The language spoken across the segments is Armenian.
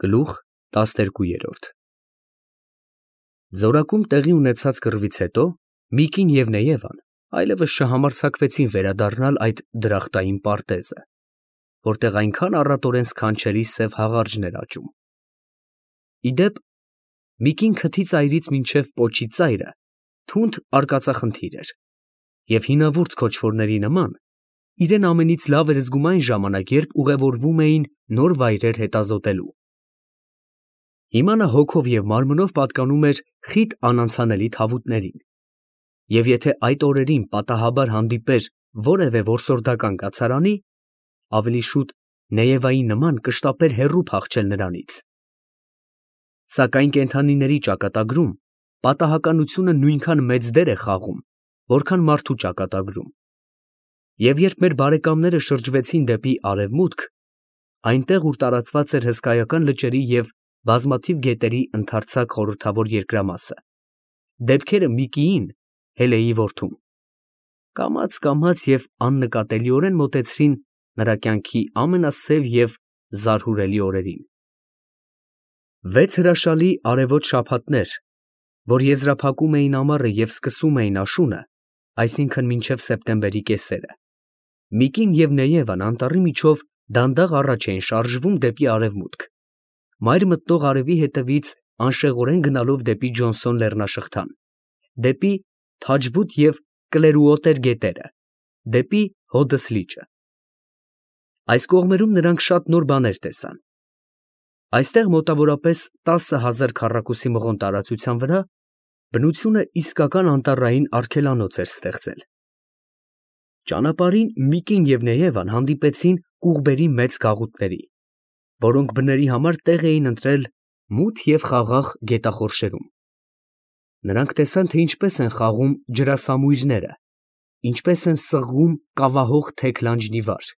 Գլուխ 12 Զորակում տեղի ունեցած կռվից հետո Միկին և Նեևան այլևս չհամարձակվեցին վերադառնալ այդ դրախտային պարտեզը, որտեղ այնքան առատորեն սքանչելի սև հաղարջներ աճում։ Ի դեպ, Միկին քթի ծայրից մինչև պոչի ծայրը թունդ արկածախնդիր էր, և հինավուրց քոչվորների նման իրեն ամենից լավ էր զգում այն ժամանակ, երբ ուղևորվում էին նոր վայրեր հետազոտելու։ Հիմա նա հոգով և մարմնով պատկանում էր խիտ անանցանելի թավուտներին, և եթե այդ օրերին պատահաբար հանդիպեր որևէ որսորդական կացարանի, ավելի շուտ Նեևայի նման կշտապեր հեռու փախչել նրանից։ Սակայն կենդանիների ճակատագրում պատահականությունը նույնքան մեծ դեր է խաղում, որքան մարդու ճակատագրում, և երբ մեր բարեկամները շրջվեցին դեպի արևմուտք, այնտեղ, ուր տարածված էր հսկայական լճերի և բազմաթիվ գետերի ընդարձակ խորհրդավոր երկրամասը, դեպքերը Միկիին, Հելեի որդուն, կամաց և աննկատելիորեն մոտեցրին նրա կյանքի ամենասև և զարհուրելի օրերին։ 6 հրաշալի արևոտ շաբաթներ, որ եզրափակում էին ամառը և սկսում էին աշունը, այսինքն մինչև սեպտեմբերի կեսերը, Միկին և Նեևան անտառի միջով դանդաղ առաջ էին շարժվում դեպի արևմուտք, մայր մտնող արևի հետևից անշեղորեն գնալով դեպի Ջոնսոն լեռնաշղթան, դեպի Թաջվուտ և Կլերուոտեր գետերը, դեպի Հոդս լիճը։ Այս կողմերում նրանք շատ նոր բաներ տեսան։ Այստեղ մոտավորապես 10,000 քառակուսի մղոն տարածության վրա բնությունը իսկական անտառային արգելանոց էր ստեղծել։ Ճանապարհին Միկին և Նեևան հանդիպեցին կուղբերի մեծ գաղութների, որոնք բների համար տեղ էին ընտրել մութ և խաղաղ գետախորշերում։ Նրանք տեսան, թե ինչպես են խաղում ջրասամույրները, ինչպես են սղղում կավահող թեք լանջնիվար։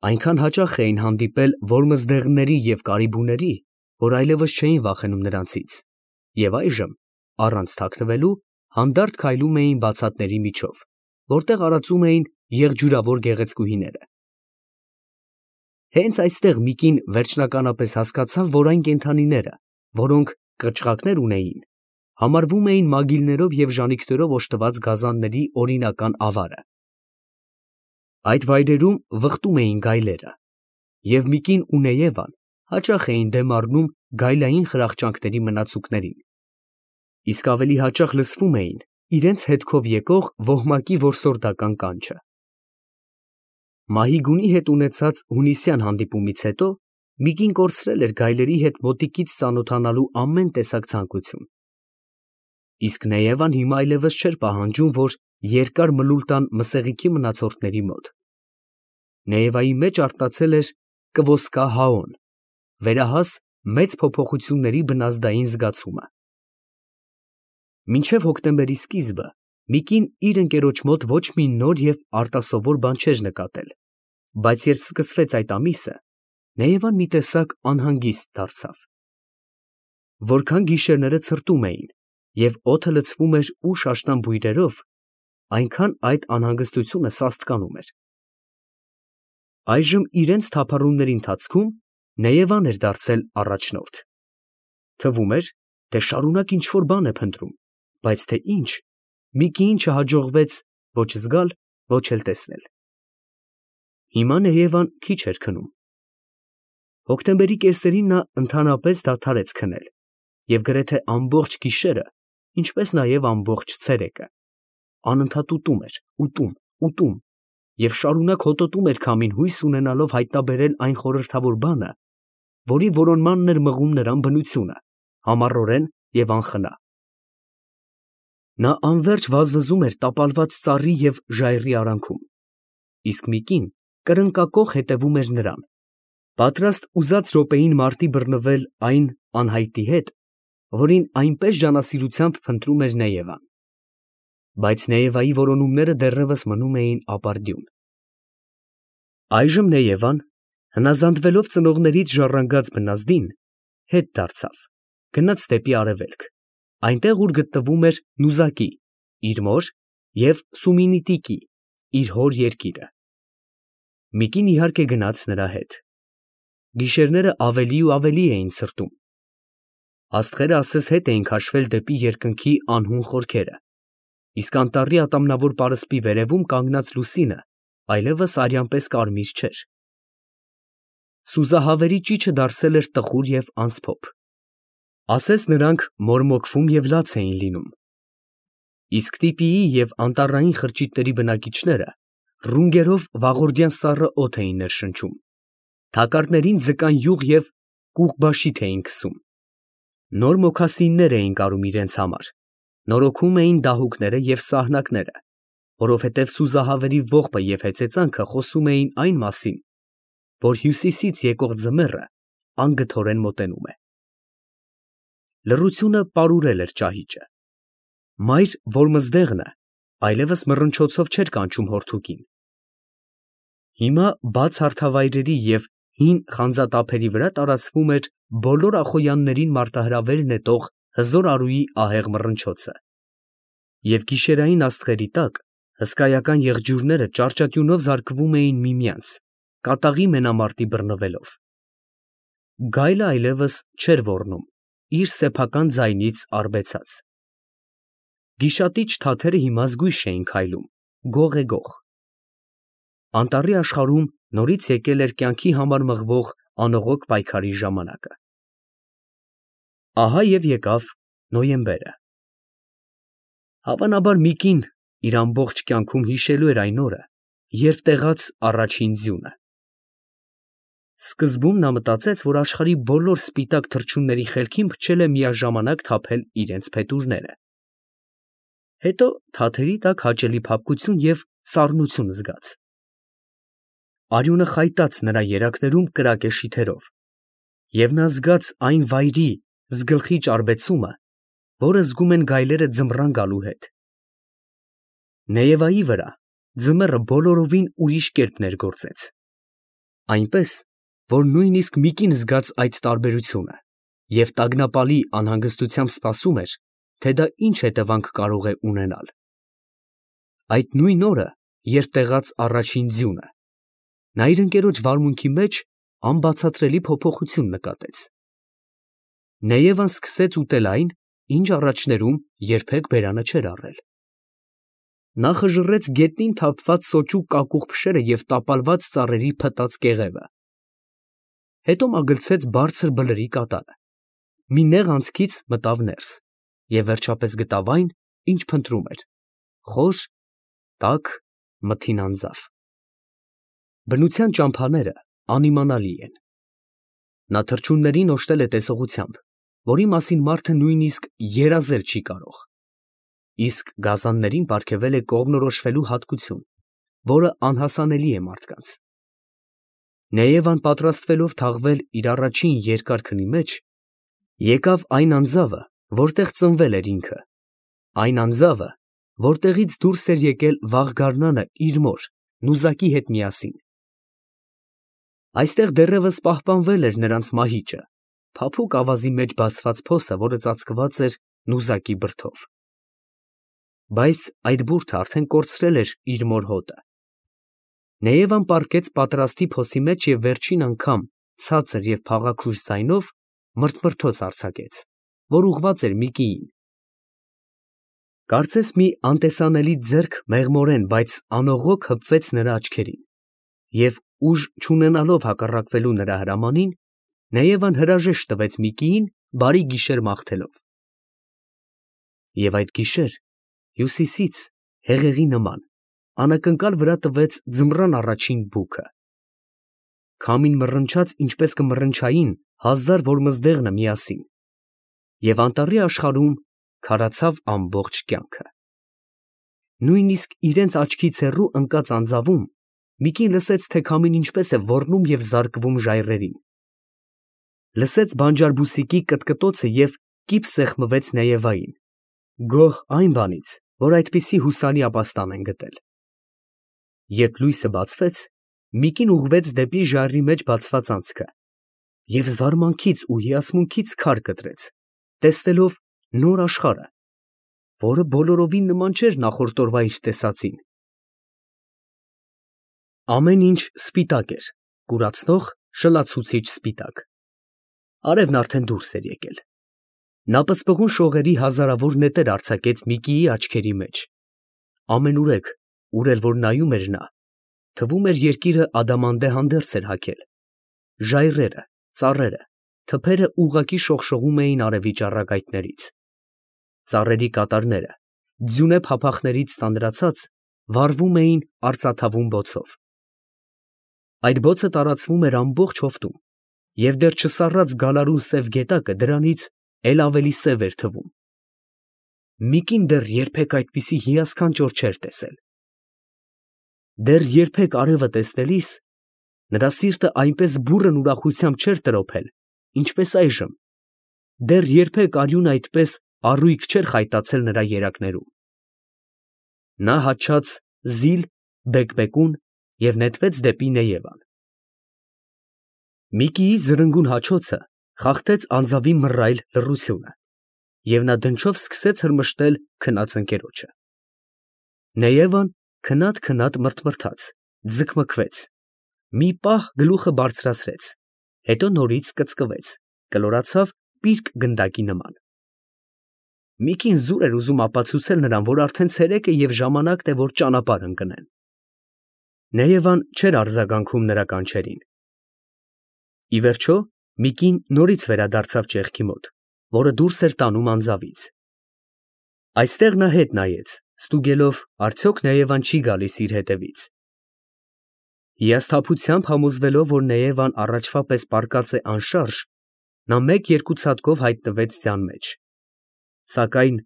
Այնքան հաճախ էին հանդիպել որմզդեղների և կարիբուների, որ այլևս չէին վախենում նրանցից, և այժմ, առանց թաքնվելու, հանդարտ քայլում էին բացատների միջով, որտեղ արածում էին եղջյուրավոր գեղեցկուհիները։ Հենց այստեղ Միկին վերջնականապես հասկացավ, որ այն կենդանիները, որոնք կղճղակներ ունեին, համարվում էին մագիլներով և ժանիքներով օժտված գազանների օրինական ավարը։ Այդ վայրերում վխտում էին գայլերը, և Միկին ու Նեևան հաճախ էին դեմ առնում գայլային խրախճանքների մնացուկներին, իսկ ավելի հաճախ լսվում էին իրենց հետքով եկող ոհմակի որսորդական կանչը։ Մահիգունի հետ ունեցած հունիսյան հանդիպումից հետո Միկին կորցրել էր գայլերի հետ մոտիկից ծանոթանալու ամեն տեսակ ցանկություն։ Իսկ Նեևան հիմա այլևս չէր պահանջում, որ երկար մլուլ տան մսեղիքի մնացորդների մոտ։ Նեևայի մեջ արթնացել էր կվոսկա Հաոն, վերահաս մեծ փոփոխությունների բնազդային զգացումը։ Մինչև հոկտեմբերի սկիզբը Միկին իր ընկերոջ մոտ ոչ մի նոր և արտասովոր բան չէր նկատել, բայց երբ սկսվեց այդ ամիսը, Նեևան մի տեսակ անհանգիստ դարձավ։ Որքան գիշերները ցրտում էին և օդը լցվում էր ուշ աշնան բույրերով, այնքան այդ անհանգստությունը սաստկանում էր։ Այժմ իրենց թափառումների ընթացքում Նեևան էր դարձել առաջնորդ։ Թվում էր, թե շարունակ ինչ֊որ բան է փնտրում, բայց թե ինչ, Միկիին չհաջողվեց ոչ զգալ, ոչ էլ տեսնել։ Հիմա Նեևան քիչ էր քնում։ Հոկտեմբերի կեսերին նա ընդհանրապես դադարեց քնել և գրեթե ամբողջ գիշերը, ինչպես նաև ամբողջ ցերեկը, անընդհատ ուտում էր, ուտում և շարունակ հոտոտում էր քամին, հույս ունենալով հայտնաբերել այն խորհրդավոր բանը, որի որոնմանն էր մղում նրան բնությունը, համառորեն և անխնա։ Նա անվերջ վազվզում էր տապալված ծառի և ժայռի արանքում, իսկ Միկին կրնկակոխ հետևում էր նրան, պատրաստ ուզած րոպեին մարտի բռնվել այն անհայտի հետ, որին այնպես ջանասիրությամբ փնտրում էր Նեևան։ Բայց Նեևայի որոնումները դեռևս մնում էին ապարդյուն։ Այժմ Նեևան, հնազանդվելով ծնողներից ժառանգած բնազդին, հետ դարձավ, գնաց դեպի արևելք, այնտեղ, ուր գտնվում էր Նուզակի, իր մոր, և Սումինիտիկի, իր հոր երկիրը։ Միկին իհարկե գնաց նրա հետ։ Գիշերները ավելի ու ավելի էին սրտում։ Աստղերը ասես հետ էին քաշվել դեպի երկնքի անհուն խորքերը, իսկ անտառի ատամնավոր պարսպի վերևում կանգնած լուսինը այլևս արյան պես կարմիր չէր։ Սուզահավերի ճիչը դարձել էր տխուր և անսփոփ, ասես նրանք մորմոքվում և լաց էին լինում, իսկ տիպիի և անտառային խրճիթների բնակիչները ռունգերով վաղորդյան սառը օդ էին ներշնչում, թակարդներին ձկան յուղ և կուղբաշիթ էին քսում, նոր մոքասիններ էին կարում իրենց համար, նորոգում էին դահուկները և սահնակները, որովհետև սուզահավերի ողբը և հեծեծանքը խոսում էին այն մասին, որ հյուսիսից եկող ձմեռը անգթորեն մոտենում է։ Լռությունը պարուրել էր ճահիճը։ Մայր Որմզդեղնը այլևս մռնչոցով չէր կանչում հորթուկին։ Հիմա բաց հարթավայրերի և հին խանձատափերի վրա տարածվում էր բոլոր ախոյաններին մարտահրավեր նետող հզոր արուի ահեղ մռնչոցը, և գիշերային աստղերի տակ հսկայական եղջյուրները ճարճատյունով զարկվում էին միմյանց, կատաղի մենամարտի բռնվելով։ Գայլը այլևս չէր ոռնում, իր սեփական ձայնից արբեցած։ Գիշատիչ թաթերը հիմա զգույշ էին քայլում, գող-գող։ Անտառի աշխարհում նորից եկել էր կյանքի համար մղվող անողոք պայքարի ժամանակը։ Ահա և եկավ նոյեմբերը։ Հավանաբար մի կին իր ամբողջ կյանքում հիշելու էր այն օրը, երբ տեղաց առաջին ձյունը։ Սկզբում նա մտածեց, որ աշխարհի բոլոր սպիտակ թռչունների խելքին փչել է միաժամանակ թափել իրենց փետուրները։ Հետո թաթերի տակ հաճելի փափկություն և սառնություն զգաց։ Արյունը խայտաց նրա երակներում կրակե շիթերով, և նա զգաց այն վայրի զգլխի ճարբեցումը, որը զգում են գայլերը ձմռան գալու հետ։ Նեևայի վրա ձմեռը բոլորովին ուրիշ կերպ ներգործեց, այնպես, որ նույնիսկ մի կին զգաց այդ տարբերությունը և տագնապալի անհանգստությամբ սպասում էր, թե դա ինչ հետևանք կարող է ունենալ։ Այդ նույն օրը, երբ տեղաց առաջին ձյունը, նա իր ընկերոջ վարմունքի մեջ անբացատրելի փոփոխություն նկատեց։ Նեևան սկսեց ուտել այն, ինչ առաջներում երբեք բերանը չէր առել։ Նա խժռեց գետնին թափված սոճու կակուղ փշերը և տապալված ծառերի փտած կեղևը։ Հետո մագլցեց բարձր բլրի կատարը, մի նեղ անցքից մտավ ներս և վերջապես գտավ այն, ինչ փնտրում էր՝ խոր, տաք, մթին անձավ։ Բնության ճամփաները անիմանալի են։ Նա թռչուններին օժտել է տեսողությամբ, որի մասին մարդը նույնիսկ երազել չի կարող, իսկ գազաններին պարգևել է կողմնորոշվելու հատկություն, որը անհասանելի է մարդկանց։ Նեևան պատրաստվելով թաղվել իր առաջին երկար քնի մեջ, եկավ այն անձավը, որտեղ ծնվել էր ինքը, այն անձավը, որտեղից դուրս էր եկել վաղ գարնանը իր մոր Նուզակի հետ միասին։ Այստեղ դեռևս պահպանվել էր նրանց մահիճը, փափուկ ավազի մեջ բացված փոսը, որը ծածկված էր նուզակի բրդով։ Բայց այդ բուրդը արդեն կորցրել էր իր մոր հոտը։ Նեևան պառկեց պատրաստի փոսի մեջ և վերջին անգամ ցածր և փաղաքուշ ձայնով մրթմրթոց արձակեց, որ ուղղված էր մի կիին։ Կարծես մի անտեսանելի ձեռք մեղմորեն, բայց անողոք հպվեց նրա աչքերին, և ուժ չունենալով հակառակվելու նրա հրամանին, Նեևան հրաժեշտ տվեց մի կիին, բարի գիշեր մաղթելով։ Եվ այդ գիշեր հյուսիսից հեղեղի նման անակնկալ վրա տվեց ձմռան առաջին բուքը։ Քամին մռնչաց, ինչպես կմռնչային 1000 Որմզդեղնը միասին, և անտառի աշխարհում քարացավ ամբողջ կյանքը։ Նույնիսկ իրենց աչքից հեռու ընկած անձավում մի կին լսեց, թե քամին ինչպես է ոռնում և զարկվում ժայռերին, լսեց բանջարբուսիկի կտկտոցը և կիպ սեղմվեց Նեևային, գոհ այն բանից, որ այդպիսի հուսալի ապաստան են գտել։ Երբ լույսը բացվեց, մի կին ուղղվեց դեպի ժայռի մեջ բացված անցքը և զարմանքից ու հիացմունքից քար կտրեց, տեսնելով նոր աշխարհը, որը բոլորովին նման չէր նախորդ օրվա իր տեսածին։ Ամեն ինչ սպիտակ էր, կուրացնող, շլացուցիչ սպիտակ։ Արևն արդեն դուրս էր եկել։ Նա պսպղուն շողերի հազարավոր նետեր արձակեց Միկիի աչքերի մեջ։ Ամենուրեք, ուր էլ որ նայում էր նա, թվում էր երկիրը ադամանդե հանդերձ էր հագել։ Ժայռերը, ծառերը, թփերը ուղղակի շողշողում էին արևի ճառագայթներից։ Ծառերի կատարները, ձյունե փափախներից ծանրացած, վառվում էին արծաթավուն բոցով։ Այդ բոցը տարածվում էր ամբողջ հովտում, և դեռ չսառած գալարուն սև գետակը դրանից էլ ավելի սև էր թվում։ Միկին դեռ երբեք այդպիսի հիասքանչոր չէր տեսել։ Դեռ երբեք արևը տեսնելիս նրա սիրտը այնպես բուռն ուրախությամբ չէր տրոփել, ինչպես այժմ։ Դեռ երբեք արյունը այդպես առույգ չէր խայտացել նրա երակներում։ Նա հաչաց զիլ, բեկբեկուն և նետվեց դեպի Նեևան։ Միկիի զրնգուն հաչոցը խախտեց անձավի մռայլ լռությունը, և նա դնչով սկսեց հրմշտել քնած ընկերոջը։ Նեևան քնած մռթմռթաց, ձգմգվեց, մի պահ գլուխը բարձրացրեց, հետո նորից կծկվեց, կլորացավ պիրկ գնդակի նման։ Միկին զուր էր ուզում ապացուցել նրան, որ արդեն ցերեկ է և ժամանակն է, որ ճանապարհ ընկնեն։ Նեևան չէր արձագանքում նրա կանչերին։ Ի վերջո Միկին նորից վերադարձավ ճեղքի մոտ, որը դուրս էր տանում անձավից։ Այստեղ նա հետ նայեց, ստուգելով, արդյոք Նեևան չի գալիս իր հետևից։ Հիասթափությամբ համոզվելով, որ Նեևան առաջվա պես պառկած է անշարժ, նա մեկ-երկու ցատկով հայտնվեց ձյան մեջ։ Սակայն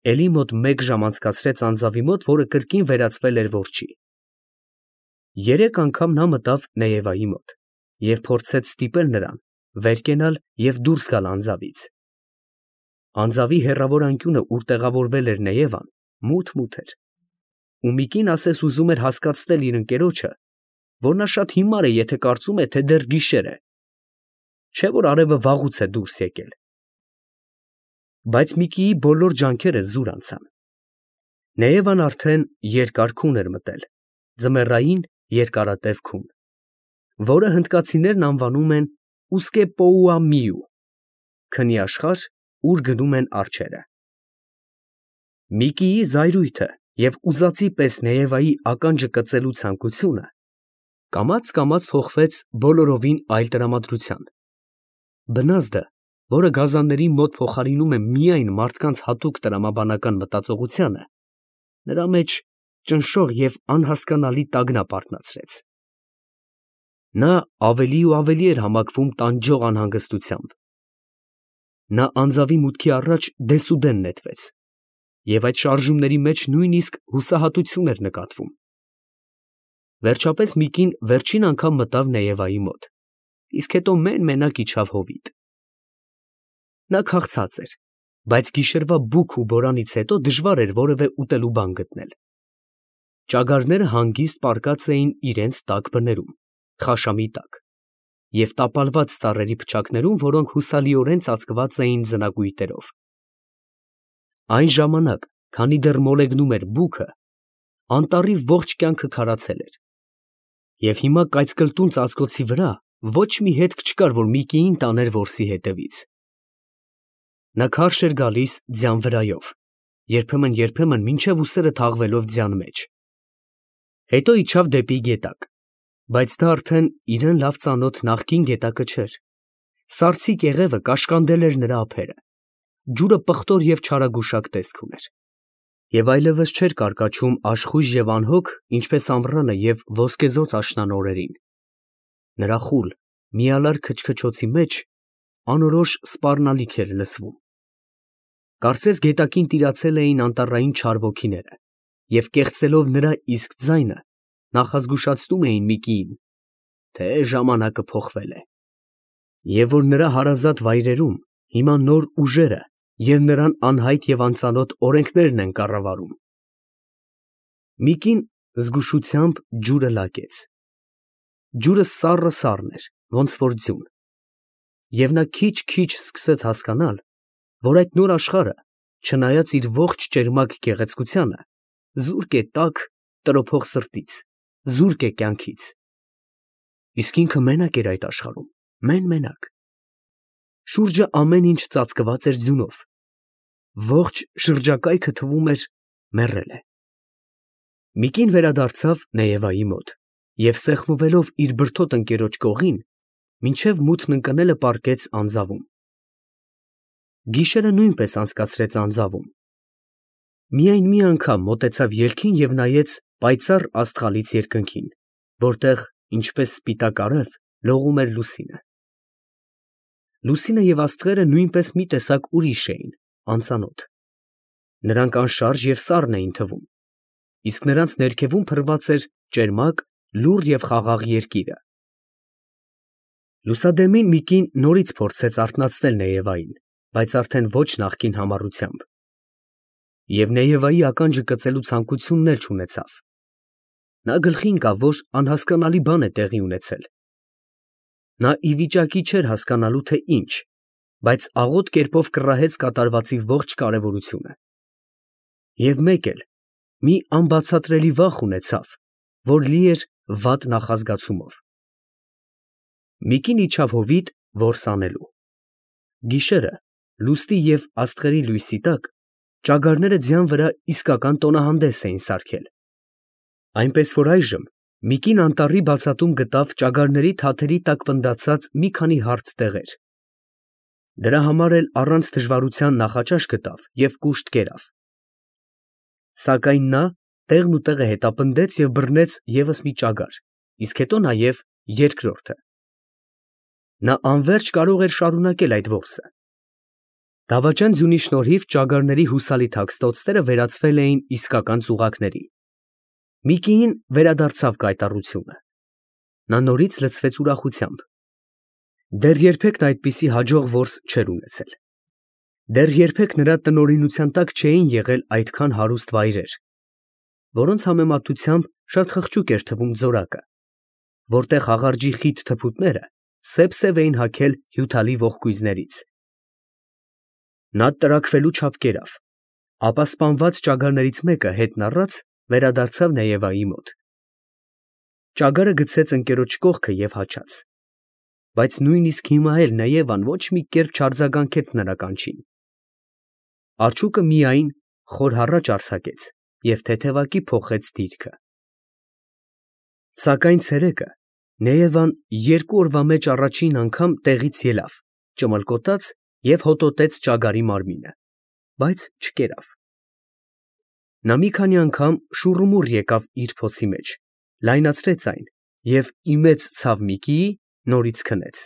էլի մոտ մեկ ժամ անցկացրեց անձավի մոտ, որը կրկին վերածվել էր որջի։ Երեք անգամ նա մտավ Նեևայի մոտ և փորձեց ստիպել նրան վեր կենալ և դուրս գալ անձավից։ Անձավի հեռավոր անկյունը, ուր տեղավորվել էր Նեևան, մութ էր, ու Միկին ասես ուզում էր հասկացնել իր ընկերոջը, որ նա շատ հիմար է, եթե կարծում է, թե դեռ գիշեր է, չէ՞ որ արևը վաղուց է դուրս եկել։ Բայց Միկիի բոլոր ջանքերը զուր անցան։ Նեևան արդեն երկար քուն էր մտել, ձմեռային երկարատև քուն, որը հնդկացիներն անվանում են Ուսկեպոուամիու, քնի աշխարհ, ուր գնում են արջերը։ Միկիի զայրույթը և ուզածի պես Նեևայի ականջը կծելու ցանկությունը կամաց փոխվեց բոլորովին այլ տրամադրության։ Բնազդը, որը գազանների մոտ փոխարինում է միայն մարդկանց հատուկ տրամաբանական մտածողությանը, նրա մեջ ճնշող և անհասկանալի տագնապ արթնացրեց։ Նա ավելի ու ավելի էր համակվում տանջող անհանգստությամբ։ Նա անձավի մուտքի առաջ դեսուդեն նետվեց, և այդ շարժումների մեջ նույնիսկ հուսահատություն էր նկատվում։ Վերջապես Միկին վերջին անգամ մտավ Նեևայի մոտ, իսկ հետո մեն֊մենակ իջավ հովիտ։ Նա քաղցած էր, բայց գիշերվա բուք ու բորանից հետո դժվար էր որևէ ուտելու բան գտնել։ Ճագարները հանգիստ պառկած էին իրենց տաք բներում, խաշամի տակ, և տապալված ծառերի փչակներում, որոնք հուսալիորեն ծածկված էին ձնագույտերով։ Այն ժամանակ, քանի դեռ մոլեգնում էր բուքը, անտառի ողջ կյանքը քարացել էր, և հիմա կայծկլտուն ծածկոցի վրա ոչ մի հետք չկար, որ Միկիին տաներ որսի հետևից։ Նա քարշ էր գալիս ձյան վրայով, երբեմն մինչև ուսերը թաղվելով ձյան մեջ։ Հետո իջավ դեպի գետակ, բայց դա արդեն իրան լավ ծանոթ նախկին գետակը չէր։ Սառցի կեղևը կաշկանդել էր նրա ափերը, ջուրը պղտոր և չարագուշակ տեսք ուներ, և այլևս չէր կարկաչում աշխույժ և անհոգ, ինչպես ամռանը և ոսկեզօծ աշնան օրերին։ Նրա խուլ, միալար քչքչոցի մեջ անորոշ սպառնալիք էր լսվում։ Կարծես գետակին տիրացել էին անտառային չար ոգիները և կեղծելով նրա իսկ ձայնը, նախազգուշացնում էին Միկիին, թե ժամանակը փոխվել է, և որ նրա հարազատ վայրերում հիմա նոր ուժերը և նրան անհայտ և անծանոթ օրենքներն են կառավարում։ Միկին զգուշությամբ ջուրը լակեց։ Ջուրը սառն էր, ոնց որ ձյուն, և նա քիչ սկսեց հասկանալ, որ այդ նոր աշխարհը, չնայած իր ողջ ճերմակ գեղեցկությանը, զուրկ է տաք, տրոփող սրտից, զուրկ է կյանքից։ Իսկ ինքը մենակ էր այդ աշխարհում, մենակ։ Շուրջը ամեն ինչ ծածկված էր ձյունով։ Ողջ շրջակայքը թվում էր մեռել է։ մի կին վերադարձավ Նեևայի մոտ և սեղմվելով իր բրդոտ ընկերոջ կողին, մինչև մութն ընկնելը պառկեց անձավում։ Գիշերը նույնպես անցկացրեց անձավում։ Միայն մի անգամ մոտեցավ ելքին և նայեց պայծառ աստղալից երկնքին, որտեղ, ինչպես սպիտակ արև, լողում էր լուսինը։ Լուսինը և աստղերը նույնպես մի տեսակ ուրիշ էին, անծանոթ։ Նրանք անշարժ և սառն էին թվում, իսկ նրանց ներքևում փռված էր ճերմակ, լուռ և խաղաղ երկիրը։ Լուսադեմին մի կին նորից փորձեց արթնացնել Նեևային, բայց արդեն ոչ նախկին համառությամբ։ Եվ Նեևայի ականջը կծելու ցանկությունն էլ չունեցավ։ Նա գլխի ընկավ, որ անհասկանալի բան է տեղի ունեցել։ Նա ի վիճակի չէր հասկանալու, թե ինչ, բայց աղոտ կերպով կռահեց կատարվածի ողջ կարևորությունը։ Եվ մեկ էլ, մի անբացատրելի վախ ունեցավ, որ լի էր վատ նախազգացումով։ Մի կին իջավ հովիտ որս անելու։ Գիշերը, լուսնի և աստղերի լույսի տակ, ճագարները ձյան վրա իսկական տոնահանդես էին սարքել։ Այնպես որ այժմ մի կին անտառի բացատում գտավ ճագարների թաթերի տակ պնդացած մի քանի հարթ տեղեր։ Դրա համար էլ առանց դժվարության նախաճաշ գտավ և կուշտ կերավ։ Սակայն նա տեղն ու տեղը հետապնդեց և բռնեց ևս մի ճագար, իսկ հետո նաև երկրորդը։ Նա անվերջ կարող էր շարունակել այդ որսը։ Դավաճան ձյունի շնորհիվ ճագարների հուսալի թաքստոցները վերածվել էին իսկական ծուղակների։ Մի կին վերադարձավ կայտառությունը։ Նա նորից լցվեց ուրախությամբ։ Դեռ երբեք նա այդպիսի հաջող որս չէր ունեցել։ Դեռ երբեք նրա տնօրինության տակ չէին եղել այդքան հարուստ վայրեր, որոնց համեմատությամբ շատ խղճուկ էր թվում ձորակը, որտեղ աղարջի խիտ թփուտները սև էին հագել հյութալի ողկույզներից։ Նա տրաքվելու չափ կերավ, ապա սպանված ճագարներից մեկը հետն առած վերադարձավ Նեևայի մոտ։ Ճագարը գցեց ընկերոջ կողքը և հաչաց, բայց նույնիսկ հիմա էլ Նեևան ոչ մի կերպ չարձագանքեց նրա կանչին։ Արջուկը միայն խոր հառաչ արձակեց և թեթևակի փոխեց դիրքը։ Սակայն ցերեկը Նեևան երկու օրվա մեջ առաջին անգամ տեղից ելավ, ճմլկոտաց և հոտոտեց ճագարի մարմինը, բայց չկերավ։ Նա մի քանի անգամ շուռումուռ եկավ իր փոսի մեջ, լայնացրեց այն և ի մեծ ցավ Միկիի նորից քնեց։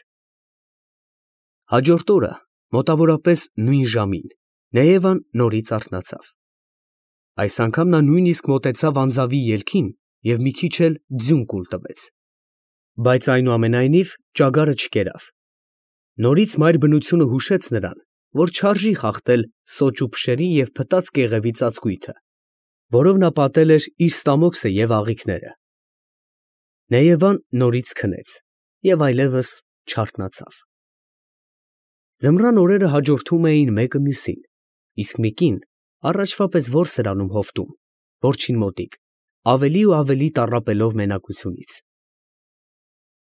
Հաջորդ օրը մոտավորապես նույն ժամին Նեևան նորից արթնացավ։ Այս անգամ նա նույնիսկ մոտեցավ անձավի ելքին և մի քիչ էլ ձյուն կուլ տվեց։ Բայց այնուամենայնիվ ճագարը չկերավ։ Նորից մայր բնությունը հուշեց նրան, որ չարժի խախտել սոճու փշերի և փտած կեղևի ծածկույթը, որով նա պատել էր իր ստամոքսը և աղիքները։ Նեևան նորից քնեց և այլևս չարթնացավ։ Ձմռան օրերը հաջորդում էին մեկը մյուսին, իսկ մի կին առաջվա պես որս էր անում հովտում, որջին մոտիկ, ավելի ու ավելի տառապելով մենակությունից։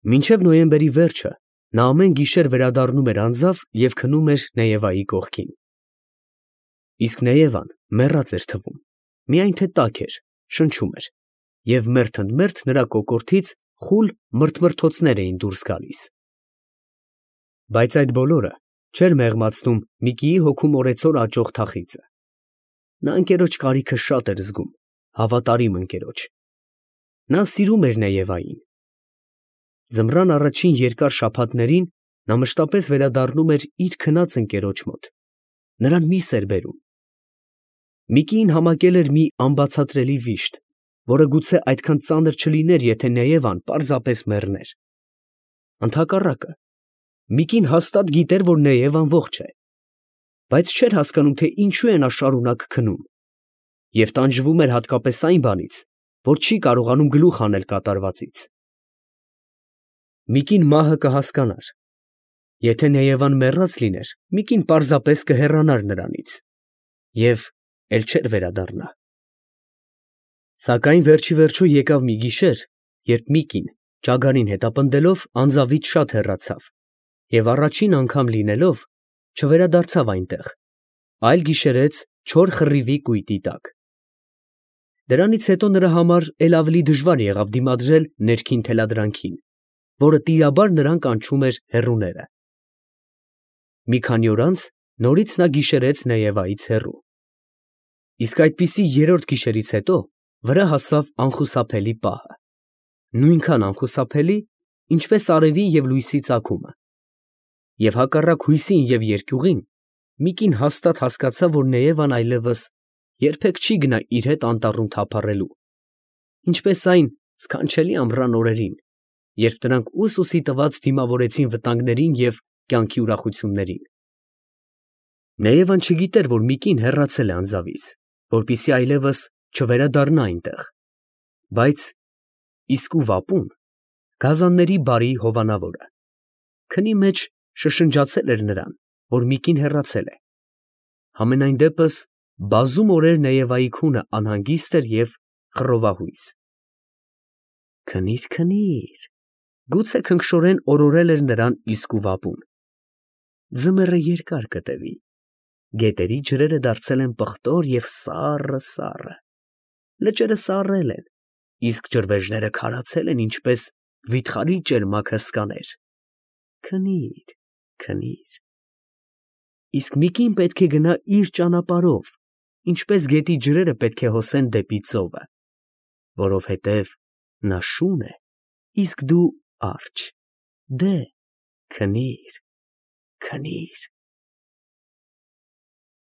Մինչև նոյեմբերի վերջը նա ամեն գիշեր վերադառնում էր անձավ և քնում էր Նեևայի կողքին։ Իսկ Նեևան մեռած էր թվում, միայն թե տաք էր, շնչում էր, և մերթ ընդ մերթ նրա կոկորդից խուլ մրթմրթոցներ էին դուրս գալիս։ Բայց այդ բոլորը չէր մեղմացնում Միկիի հոգու մորեցօր աճող թախիծը։ Նա ընկերոջ կարիքը շատ էր զգում, հավատարիմ ընկերոջ։ Նա սիրում էր Նեևային։ Ձմռան առաջին երկար շաբաթներին նա մշտապես վերադառնում էր իր քնած ընկերոջ մոտ, նրան միս էր բերում։ Միկիին համակել էր մի անբացատրելի վիշտ, որը գուցե այդքան ծանր չլիներ, եթե Նեևան պարզապես մեռներ։ Ընդհակառակը, Միկին հաստատ գիտեր, որ Նեևան ողջ է, բայց չէր հասկանում, թե ինչու է նա շարունակ քնում, և տանջվում էր հատկապես այն բանից, որ չի կարողանում գլուխ հանել կատարվածից։ Միկին մահը կհասկանար։ Եթե Նեևան մեռած լիներ, Միկին պարզապես կհեռանար նրանից և էլ չէր վերադառնա։ Սակայն վերջիվերջո եկավ մի գիշեր, երբ Միկին Ճագարին հետապնդելով անձավից շատ հեռացավ և առաջին անգամ լինելով չվերադարձավ այնտեղ, այլ գիշերեց չոր խռիվի կույտի տակ։ Դրանից հետո նրա համար էլ ավելի դժվար եղավ դիմադրել ներքին թելադրանքին, որը տիրաբար նրան կանչում էր հեռուները։ Մի քանի օր անց նորից նա գիշերեց Նեևայից հեռու։ Իսկ այդպիսի երրորդ գիշերից հետո վրա հասավ անխուսափելի պահը, նույնքան անխուսափելի, ինչպես արևի և լույսի ծագումը, և հակառակ հույսին և երկյուղին մի կին հաստատ հասկացավ, որ Նեևան այլևս երբեք չի գնա իր հետ անտառում թափառելու, ինչպես այն սքանչելի ամռան օրերին, երբ նրանք ուս֊ուսի տված դիմավորեցին վտանգներին և կյանքի ուրախություններին։ Նեևան չգիտեր, որ մի կին հեռացել է անձավից, որպեսզի այլևս չվերադառնա այնտեղ, բայց իսկույն ապուն գազանների բարի հովանավորը քնի մեջ շշնջացել էր նրան, որ մի կին հեռացել է։ Համենայն դեպս բազում օրեր Նեևայի քունը անհանգիստ էր և խռովահույս։ Քնի՛ր, քնի՛ր, գուցե քնքշորեն օրորել էր նրան իսկույն ապուն։ Ձմեռը երկար կտևի, գետերի ջրերը դարձել են պղտոր և սառը, լճերը սառել են, իսկ ջրվեժները քարացել են, ինչպես վիթխարի ճերմակ հսկաներ։ Քնի՛ր, քնի՛ր։ Իսկ մի կին պետք է գնա իր ճանապարհով, ինչպես գետի ջրերը պետք է հոսեն դեպի ծովը, որովհետև նա շուն է, իսկ դու՝ արջ, դե, քնի՛ր, քնի՛ր։